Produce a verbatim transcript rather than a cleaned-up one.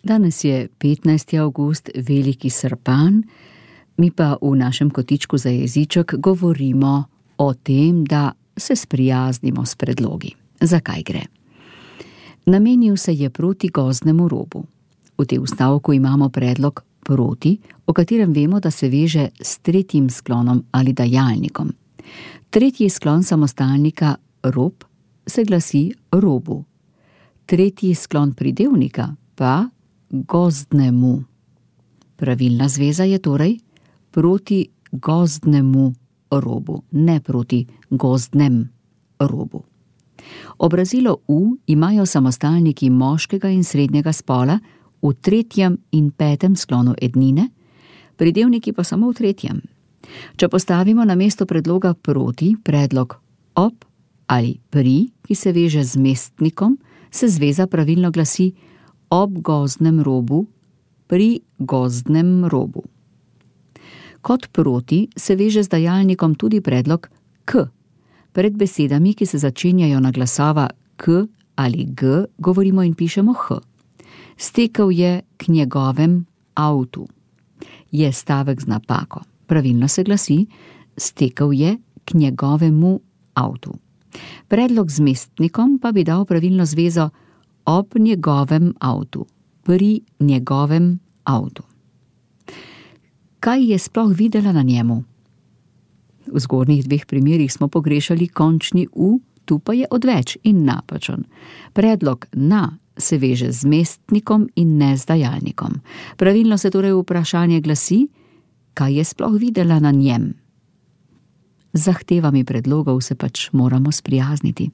Danes je petnajsti avgust, veliki srpan, mi pa v našem kotičku za jeziček govorimo o tem, da se sprijaznimo s predlogi. Zakaj gre? Namenil se je proti gozdnemu robu. V tem vstavku imamo predlog proti, o katerem vemo, da se veže s tretjim sklonom ali dajalnikom. Tretji sklon samostalnika rob se glasi robu. Tretji sklon pridevnika pa gozdnemu. Pravilna zveza je torej proti gozdnemu robu, ne proti gozdnem robu. Obrazilo u imajo samostalniki moškega in srednjega spola v tretjem in petem sklonu ednine, pridevniki pa samo v tretjem. Če postavimo na mesto predloga proti predlog ob ali pri, ki se veže z mestnikom, se zveza pravilno glasi ob gozdnem robu, pri gozdnem robu. Kot proti se veže z dajalnikom tudi predlog k. Pred besedami, ki se začenjajo na glasova k ali g, govorimo in pišemo h. Stekel je k njegovem avtu. Je stavek z napako. Pravilno se glasi stekel je k njegovemu avtu. Predlog z mestnikom pa bi dal pravilno zvezo ob njegovem avtu, pri njegovem avtu. Kaj je sploh videla na njemu? V zgornjih dveh primerih smo pogrešali končni u, tu pa je odveč in napačen. Predlog na se veže z mestnikom in ne z dajalnikom. Pravilno se torej vprašanje glasi, kaj je sploh videla na njem. Z zahtevami predlogov se pač moramo sprijazniti.